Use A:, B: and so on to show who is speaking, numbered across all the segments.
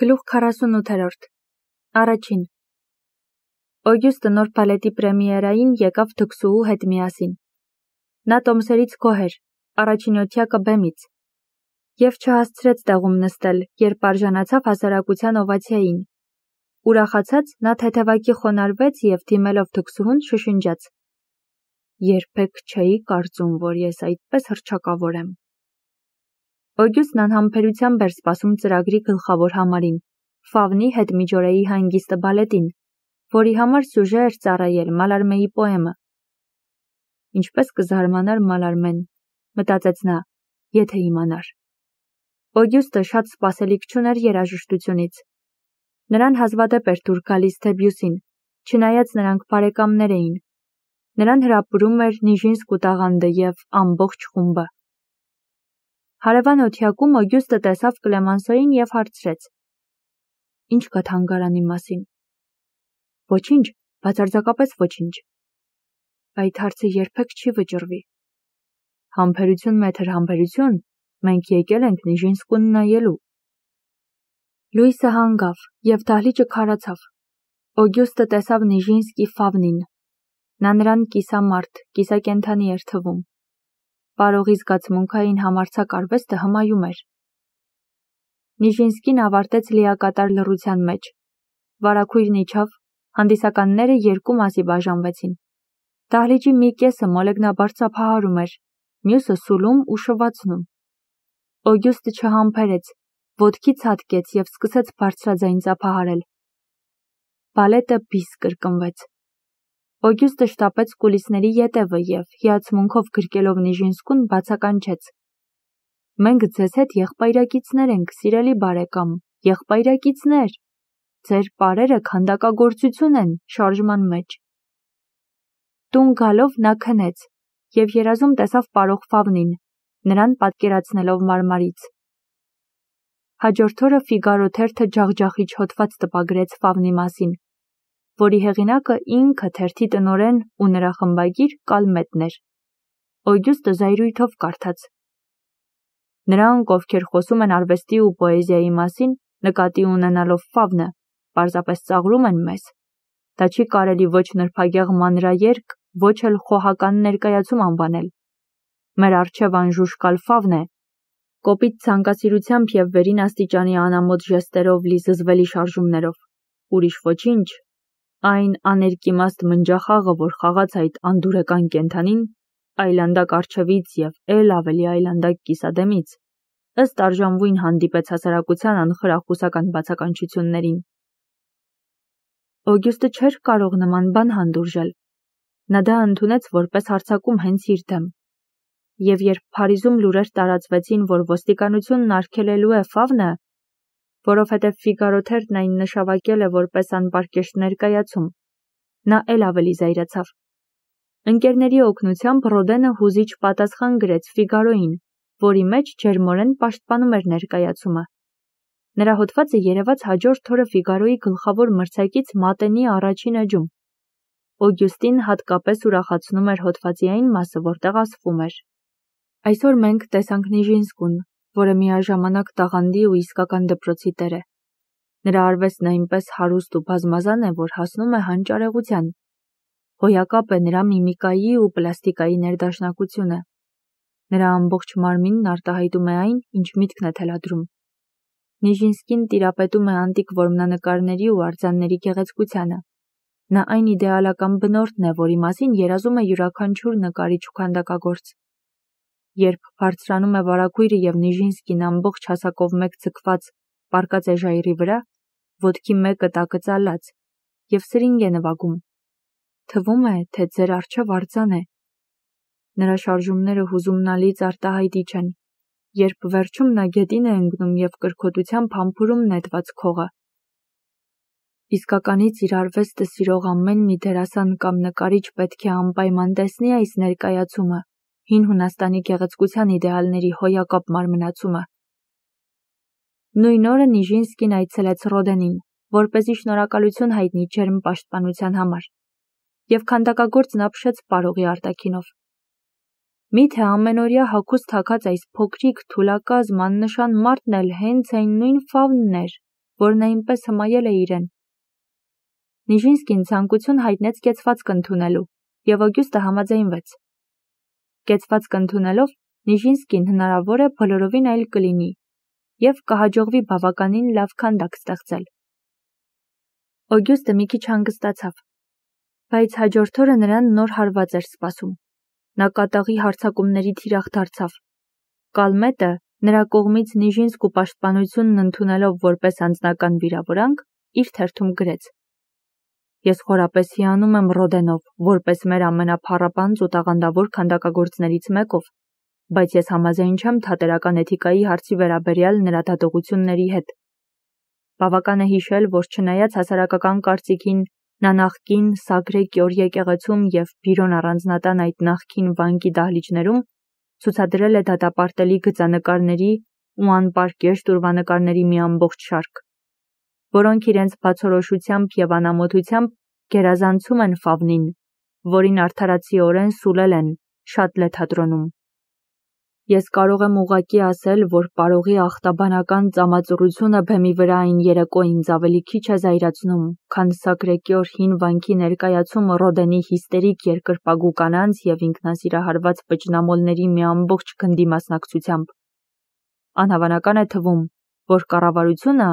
A: Գլուխ 48 Առաջին Օգյուստը նոր բալետի պրեմիերային եկավ Թքսուհու հետ միասին։ Նա տոմսերից գոհ էր, առաջին օթյակը բեմից, և չհասցրեց տեղում նստել, երբ արժանացավ հասարակության օվացիային։ Ուրախացած նա թեթևակի խոնարհվեց և դիմելով Թքսուհուն շշնջաց. «Երբեք չէի կարծում, որ ես այդպես հռչակավոր եմ»։ Օգյուստն անհամբերությամբ էր սպասում ծրագրի գլխավոր համարին՝ Ֆավնի հետմիջօրեի հանգիստը բալետին, որի համար սյուժե էր ծառայել Մալարմեի պոեմը։ «Ինչպես կզարմանար Մալարմեն», մտածեց նա, եթե իմանար։ Օգյուստը շատ սպասելիք չուներ երաժշտությունից։ Նրան հազվադեպ էր դուր գալիս Դեբյուսին, չնայած նրանք բարեկամներ էին։ Նրան հրապուրում էր Նիժինսկու տաղանդը և ամբողջ խումբը։ Հարևան օթյակում Օգյուստը տեսավ Կլեմանսոյին և հարցրեց. «Ինչ կա թանգարանի մասին»։ «Ոչինչ, բացարձակապես ոչինչ»։ Այդ հարցը երբեք չի վճռվի։ «Համբերություն, մեթր, համբերություն, մենք եկել ենք Նիժինսկուն նայելու»։ Լույսը հանգավ, և դահլիճը քարացավ։ Օգյուստը տեսավ Նիժինսկի Ֆավնին։ Նա նրան կիսամարդ, կիսակենդանի էր թվում։ Պարողի զգացմունքային համարձակ արվեստը հմայում էր։ Նիժինսկին ավարտեց լիակատար լռության մեջ։ Վարագույրն իջավ, հանդիսականները երկու մասի բաժանվեցին։ Դահլիճի մի կեսը մոլեգնաբար ծափահարում էր, մյուսը սուլում ու շվացնում։ Օգյուստը չհամբերեց, ոտքի ցատկեց և սկսեց բարձրաձայն ծափահարել։ Բալետը բիս կրկնվեց։ Օգյուստը շտապեց կուլիսների ետևը և, հիացմունքով գրկելով Նիժինսկուն, բացականչեց. «Մենք ձեզ հետ եղբայրակիցներ ենք, սիրելի բարեկամ, եղբայրակիցներ։ Ձեր պարերը քանդակագործություն են շարժման մեջ»։ Տուն գալով նա քնեց և երազում տեսավ պարող Ֆավնին, նրան պատկերացնելով մարմարից։ Հաջորդ օրը Ֆիգարո թերթը ջախջախիչ հոդված տպագրեց Ֆավնի մասին, որի հեղինակը ինքը թերթի տնօրեն ու նրա խմբագիր Կալմետն էր։ Օգյուստը զայրույթով կարդաց. «Նրանք, ովքեր խոսում են արվեստի ու պոեզիայի մասին, նկատի ունենալով Ֆավնը, պարզապես ծաղրում են մեզ։ Դա չի կարելի ոչ նրբագեղ մանրաերգ, ոչ էլ խոհական ներկայացում անվանել։ Մեր առջև անժուշկալ Ֆավն է, կոպիտ ցանկասիրությամբ և վերին աստիճանի անամոթ ժեստերով լի զզվելի շարժումներով։ Ուրիշ ոչինչ, այն աներկիմաստ մնջախաղը, որ խաղաց այդ անդուրեկան կենդանին, այլանդակ առջևից և էլ ավելի այլանդակ կիսադեմից, ըստ արժանվույն հանդիպեց հասարակության անխրախուսական բացականչություններին»։ Օգյուստը չէր կարող նման բան հանդուրժել։ Նա դա ընդունեց որպես հարձակում հենց իր դեմ։ Եվ երբ Փարիզում լուրեր տարածվեցին, որ ոստիկանությունն արգելելու է Ֆավնը, որովհետև Ֆիգարո թերթն այն նշավակել է որպես անպարկեշտ ներկայացում, նա էլ ավելի զայրացավ։ Ընկերների օգնությամբ Ռոդենը հուզիչ պատասխան գրեց Ֆիգարոյին, որի մեջ ջերմորեն պաշտպանում էր ներկայացումը։ Նրա հոդվածը երևաց հաջորդ օրը Ֆիգարոյի գլխավոր մրցակից Մատենի առաջին էջում։ Օգյուստին հատկապես ուրախացնում էր հոդվածի այն մասը, որտեղ ասվում էր. «Այսօր մենք տեսանք Նիժինսկուն, որը միաժամանակ տաղանդի ու իսկական դպրոցի տեր է։ Նրա արվեստն այնպես հարուստ ու բազմազան է, որ հասնում է հանճարեղության։ Հոյակապ է նրա միմիկայի ու պլաստիկայի ներդաշնակությունը։ Նրա ամբողջ մարմինն արտահայտում է այն, ինչ միտքն է թելադրում։ Նիժինսկին տիրապետում է անտիկ որմնանկարների ու արձանների գեղեցկությանը։ Նա այն իդեալական բնորդն է, որի մասին երազում է յուրաքանչյուր նկարիչ ու քանդակագործ։ Երբ բարձրանում է վարագույրը և Նիժինսկին ամբողջ հասակով մեկ ձգված պառկած է ժայռի վրա, ոտքի մեկը տակը ծալած, և սրինգ է նվագում, թվում է, թե ձեր առջև արձան է։ Նրա շարժումները հուզումնալից արտահայտիչ են, երբ վերջում նա գետին է ընկնում և կրքոտությամբ համբուրում նետված քողը։ Իսկականից իր արվեստը սիրող ամեն մի դերասան կամ նկարիչ պետք է անպայման տեսնի այս ներկայացումը, հին Հունաստանի գեղեցկության իդեալների հոյակապ մարմնացումը»։ Նույն օրը Նիժինսկին այցելեց Ռոդենին, որպեսզի շնորհակալություն հայտնի ջերմ պաշտպանության համար, և քանդակագործն ապշեց պարողի արտաքինով։ Միթե ամենօրյա հագուստ հագած այս փոքրիկ թուլակազմ աննշան մարդն էլ հենց այն նույն Ֆավնն էր, որն այնպես հմայել է իրեն։ Նիժինսկին ցանկություն հայտնեց կեցվածք ընդունելու, և Օգյուստը համաձայնվեց։ Կեցվածք ընդունելով, Նիժինսկին հնարավոր է բոլորովին այլ կլինի, և կհաջողվի բավականին լավ քանդակ ստեղծել։ Օգյուստը մի քիչ հանգստացավ, բայց հաջորդ օրը նրան նոր հարված էր սպասում։ Նա կատաղի հարձակումների թիրախ դարձավ։ Կալմետը նրա կողմից Նիժինսկու պաշտպանությունն ընդունելով որպես անձնական վիրավորանք, իր թերթում գրեց. «Ես խորապես հիանում եմ Ռոդենով, որպես մեր ամենափառապանծ ու տաղանդավոր քանդակագործներից մեկով, բայց ես համաձայն չեմ թատերական էթիկայի հարցի վերաբերյալ նրա դատողությունների հետ։ Բավական է հիշել, որ չնայած հասարակական կարծիքին, նա նախկին Սագրե Կյոր եկեղեցում և Բիրոն առանձնատան այդ նախկին վանքի դահլիճներում ցուցադրել է դատապարտելի գծանկարների ու անպարկեշտ ուրվանկարների մի ամբողջ շարք, որոնք իրենց բացորոշությամբ և անամոթությամբ գերազանցում են Ֆավնին, որին արդարացիորեն սուլել են Շատլե թատրոնում։ Ես կարող եմ ուղղակի ասել, որ պարողի ախտաբանական ծամածռությունը բեմի վրա այն երեկո ինձ ավելի քիչ է զայրացնում, քան Սագրե Կյոր հին վանքի ներկայացումը Ռոդենի հիստերիկ երկրպագու կանանց և ինքնասիրահարված պճնամոլների մի ամբողջ գնդի մասնակցությամբ։ Անհավանական է թվում, որ կառավարությունը,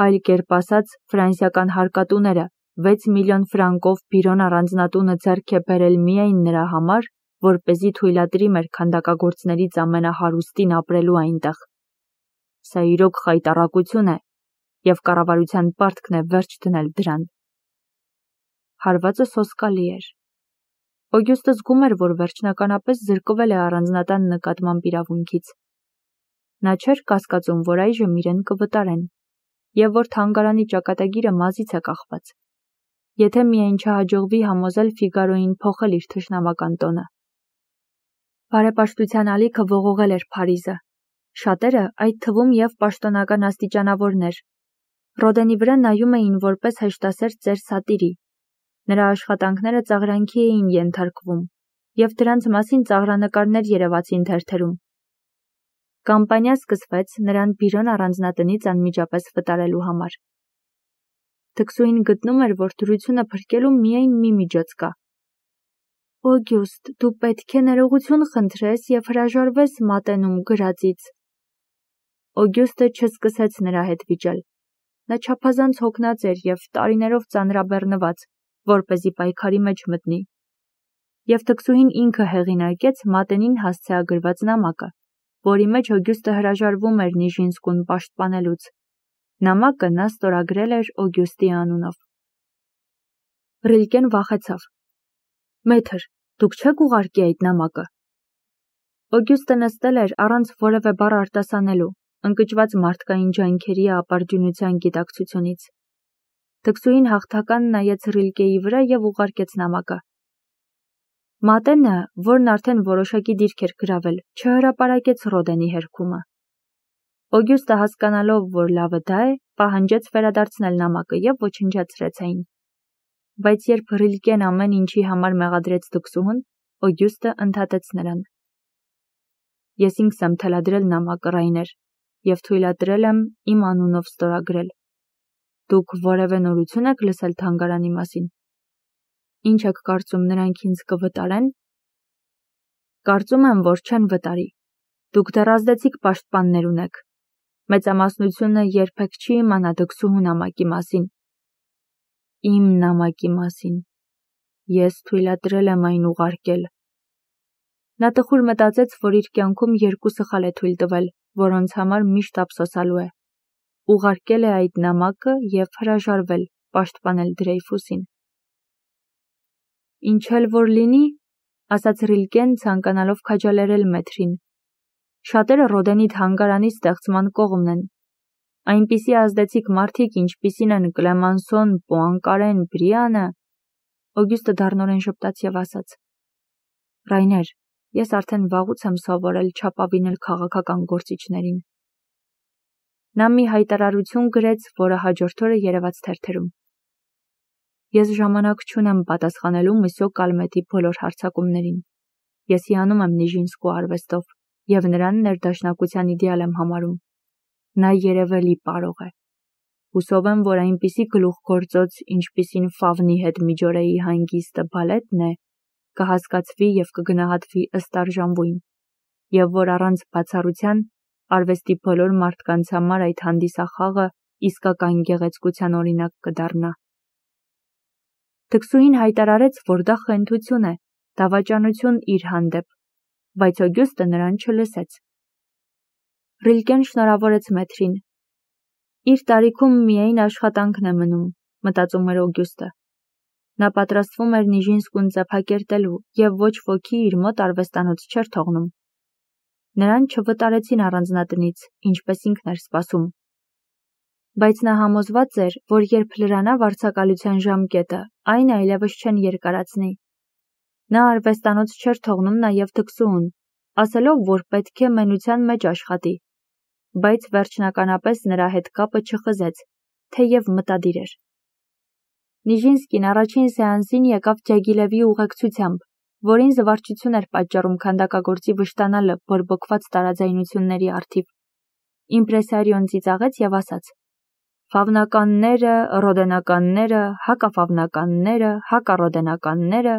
A: այլ կերպ ասած ֆրանսիական հարկատուները, 6 միլիոն ֆրանկով Բիրոն առանձնատունը ձեռք է բերել միայն նրա համար, որպեսզի թույլատրի մեր քանդակագործներից ամենահարուստին ապրելու այնտեղ։ Սա իրոք խայտառակություն է, և կառավարության պարտքն է վերջ դնել դրան։ Հարվածը սոսկալի էր։ Օգյուստը զգում էր, որ վերջնականապես զրկվել է առանձնատան նկատմամբ իրավունքից։ Նա չէր կասկածում, որ այժմ իրեն կվտարեն, և որ թանգարանի ճակատագիրը մազից է կախված, եթե միայն չհաջողվի համոզել Ֆիգարոյին փոխել իր թշնամական տոնը։ Բարեպաշտության ալիքը ողողել էր Փարիզը, շատերը, այդ թվում և պաշտոնական աստիճանավորներ, Ռոդենի վրա նայում էին որպես հեշտասեր ծեր սատիրի։ Նրա աշխատանքները ծաղրանքի էին ենթարկվում, և դրանց մասին ծաղրանկարներ երևացին թերթերում։ Կամպանիա սկսվեց նրան Բիրոն առանձնատնից անմիջապես վտարելու համար։ Թքսուհին գտնում էր, որ դրությունը փրկելու միայն մի միջոց կա։ Օգյուստ, դու պետք է ներողություն խնդրես և հրաժարվես մատենում գրածից։ Օգյուստը չսկսեց նրա հետ վիճել։ Նա չափազանց հոգնած էր և տարիներով ծանրաբեռնված, որպեսզի պայքարի մեջ մտնի։ Եվ թքսուհին ինքը հեղինակեց մատենին հասցեագրված նամակը, որի մեջ Օգյուստը հրաժարվում էր Նիժինսկուն պաշտպանելուց։ Նամակը նա ստորագրել էր Օգյուստի անունով։ Ռիլկեն վախեցավ։ Մեթր, դուք չեք ուղարկի այդ նամակը։ Օգյուստը նստել էր առանց որևէ բառ արտասանելու, ընկճված մարդկային ջանքերի ապարդյունության գիտակցությունից։ Թքսուհին հաղթական նայեց Ռիլկեի վրա և ուղարկեց նամակը։ Մատենը, որն արդեն որոշակի դիրք էր գրավել, չհրապարակեց Ռոդենի հերքումը։ Օգյուստը հասկանալով, որ լավը դա է, պահանջեց վերադարձնել նամակը և ոչնչացրեց այն։ Բայց երբ Ռիլկեն ամեն ինչի համար մեղադրեց թքսուհուն, Օգյուստը ընդհատեց նրան։ Ես ինքս եմ թելադրել նամակը, Ռայներ, և թույլատրել եմ իմ անունով ստորագրել։ Դուք որևէ նորություն եք լսել թանգարանի մասին։ Ինչ եք կարծում, նրանք ինձ կվտարեն։ Կարծում եմ, որ չեն վտարի։ Դուք դեռ ազդեցիկ պաշտպաններ ունեք։ Մեծամասնությունը երբեք չի իմանա դքսուհու նամակի մասին։ Իմ նամակի մասին։ Ես թույլատրել եմ այն ուղարկել։ Նա տխուր մտածեց, որ իր կյանքում երկու սխալ է թույլ տվել, որոնց համար միշտ ափսոսալու է։ Ուղարկել է այդ նամակը և հրաժարվել պաշտպանել Դրեյֆուսին։ Ինչ էլ որ լինի, ասաց Ռիլկեն, ցանկանալով քաջալերել մեթրին։ Շատերը Ռոդենի թանգարանի ստեղծման կողմն են։ Այնպիսի ազդեցիկ մարդիկ, ինչպիսին են Կլեմանսոն, Պուանկարեն, Բրիանը։ Օգյուստը դառնորեն ժպտաց և ասաց. Ռայներ, ես արդեն վաղուց եմ սովորել չափավինել քաղաքական գործիչներին։ Նա մի հայտարարություն գրեց, որը հաջորդ օրը երևաց թերթերում։ Ես ժամանակ չունեմ պատասխանելու Մսյո Կալմետի բոլոր հարձակումներին։ Ես հիանում եմ Նիժինսկու արվեստով և նրան ներդաշնակության իդեալ եմ համարում։ Նա երևելի պարող է։ Հուսով եմ, որ այնպիսի գլուխգործոց, ինչպիսին Ֆավնի հետ միջօրեի հանգիստը բալետն է, կհասկացվի և կգնահատվի ըստ արժանվույն, և որ առանց բացառության արվեստի բոլոր մարդկանց համար այդ հանդիսախաղը իսկական գեղեցկության օրինակ կդառնա։ Թքսուհին հայտարարեց, որ դա խենթություն է, դավաճանություն իր հանդեպ, բայց Օգյուստը նրան չլսեց։ Ռիլկեն շնորհավորեց մեթրին։ Իր տարիքում միայն աշխատանքն է մնում, մտածում էր Օգյուստը։ Նա պատրաստվում էր Նիժինսկուն ծեփակերտելու և ոչ ոքի իր մոտ արվեստանոց չէր թողնում։ Նրան չվտարեցին առանձնատնից, ինչպես ինքն էր սպասում։ Բայց նա համոզված էր, որ երբ լրանա վարձակալության ժամկետը, այն այլևս չեն երկարացնի։ Նա արվեստանոց չէր թողնում նաև թքսուհուն, ասելով, որ պետք է մենության մեջ աշխատի, բայց վերջնականապես նրա հետ կապը չխզեց, թեև մտադիր էր։ Նիժինսկին առաջին սեանսին եկավ Ջագիլևի ուղեկցությամբ, որին զվարճություն էր պատճառում քանդակագործի վշտանալը բորբոքված տարաձայնությունների առթիվ։ Իմպրեսարիոն ծիծաղեց և ասաց. «Ֆավնականները, ռոդենականները, հակաֆավնականները, հակառոդենականները,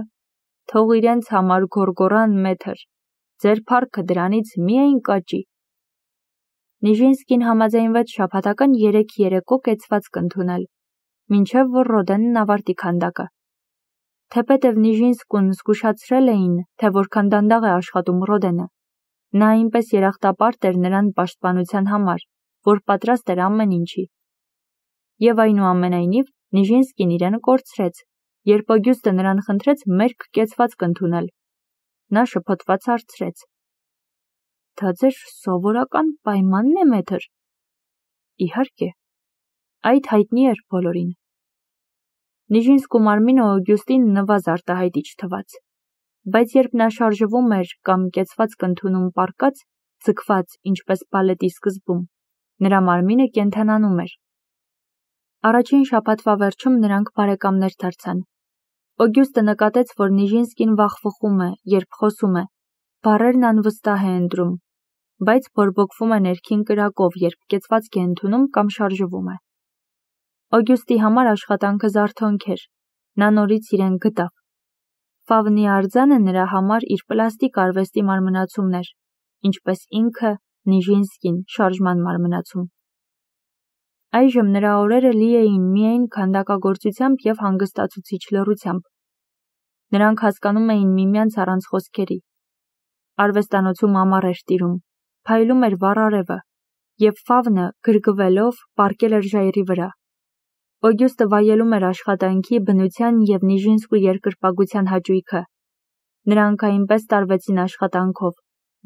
A: թող իրենց համար գոռգոռան մեթր, ձեր փառքը դրանից միայն կաճի»։ Նիժինսկին համաձայնվեց շաբաթական 3 երեկո կեցվածք ընդունել, մինչև որ Ռոդենն ավարտի քանդակը։ Թեպետև Նիժինսկուն զգուշացրել էին, թե որքան դանդաղ է աշխատում Ռոդենը, նա այնպես երախտապարտ էր նրան պաշտպանության համար, որ պատրաստ էր ամեն ինչի։ Եվ այնուամենայնիվ Նիժինսկին իրեն կորցրեց, երբ Օգյուստը նրան խնդրեց մերկ կեցվածք ընդունել։ Նա շփոթված հարցրեց. «Դա ձեր սովորական պայմանն է, մեթր»։ Իհարկե, այդ հայտնի էր բոլորին։ Նիժինսկու մարմինը Օգյուստին նվազ արտահայտիչ թվաց, բայց երբ նա շարժվում էր կամ կեցվածք ընդունում պառկած, ձգված, ինչպես բալետի սկզբում, նրա մարմինը կենդանանում էր։ Առաջին շաբաթվա վերջում նրանք բարեկամներ դարձան։ Օգյուստը նկատեց, որ Նիժինսկին վախվխում է, երբ խոսում է, բառերն անվստահ է ընտրում, բայց բորբոքվում է ներքին կրակով, երբ կեցվածք է ընդունում կամ շարժվում է։ Օգյուստի համար աշխատանքը զարթոնք էր, նա նորից իրեն գտավ։ Ֆավնի արձանը նրա համար իր պլաստիկ արվեստի մարմնացումն էր, ինչպես ինքը Նիժինսկին շարժման մարմնացում։ Այժմ նրա օրերը լի էին միայն քանդակագործությամբ և հանգստացուցիչ լռությամբ։ Նրանք հասկանում էին միմյանց առանց խոսքերի։ Արվեստանոցում ամառ էր տիրում, փայլում էր վառ արևը, և Ֆավնը, գրգվելով, պառկել էր ժայռի վրա։ Օգյուստը վայելում էր աշխատանքի, բնության և Նիժինսկու երկրպագության հաճույքը։ Նրանք այնպես տարվեցին աշխատանքով,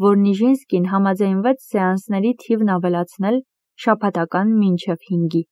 A: որ Նիժինսկին համաձայնվեց սեանսների թիվն ավելացնել շաբաթական մինչև 5-ի։